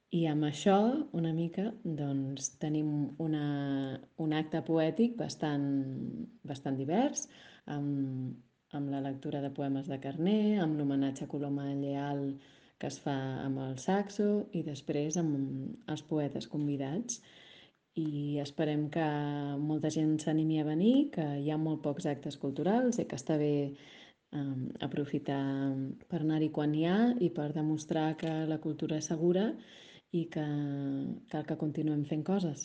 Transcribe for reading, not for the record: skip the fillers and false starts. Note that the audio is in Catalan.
I amb això, una mica, doncs, tenim un acte poètic bastant divers, amb la lectura de poemes de Carner, amb l'homenatge a Coloma Lleal que es fa amb el saxo i després amb els poetes convidats. I esperem que molta gent s'animi a venir, que hi ha molt pocs actes culturals i que està bé aprofitar per anar-hi quan hi ha i per demostrar que la cultura és segura i que cal que continuem fent coses.